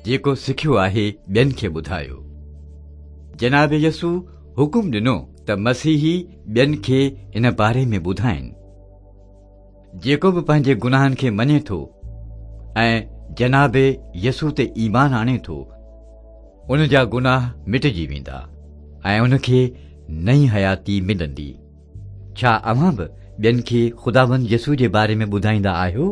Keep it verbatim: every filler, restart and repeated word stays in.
جيڪو سکيو آهي ٻين کي ٻڌايو. جناب يسوع حڪم ڏنو ته مسيحي ٻين کي ان باري ۾ ٻڌائين. جيڪو به پنهنجي گناهن کي مڃي ٿو ۽ جناب يسوع تي ايمان آڻي ٿو، ان جا گناهه مٽجي ويندا ۽ ان کي نئين حياتي ملندي. ڇا اوهان به ٻين کي خداوند يسوع جي باري ۾ ٻڌائيندا آهيو؟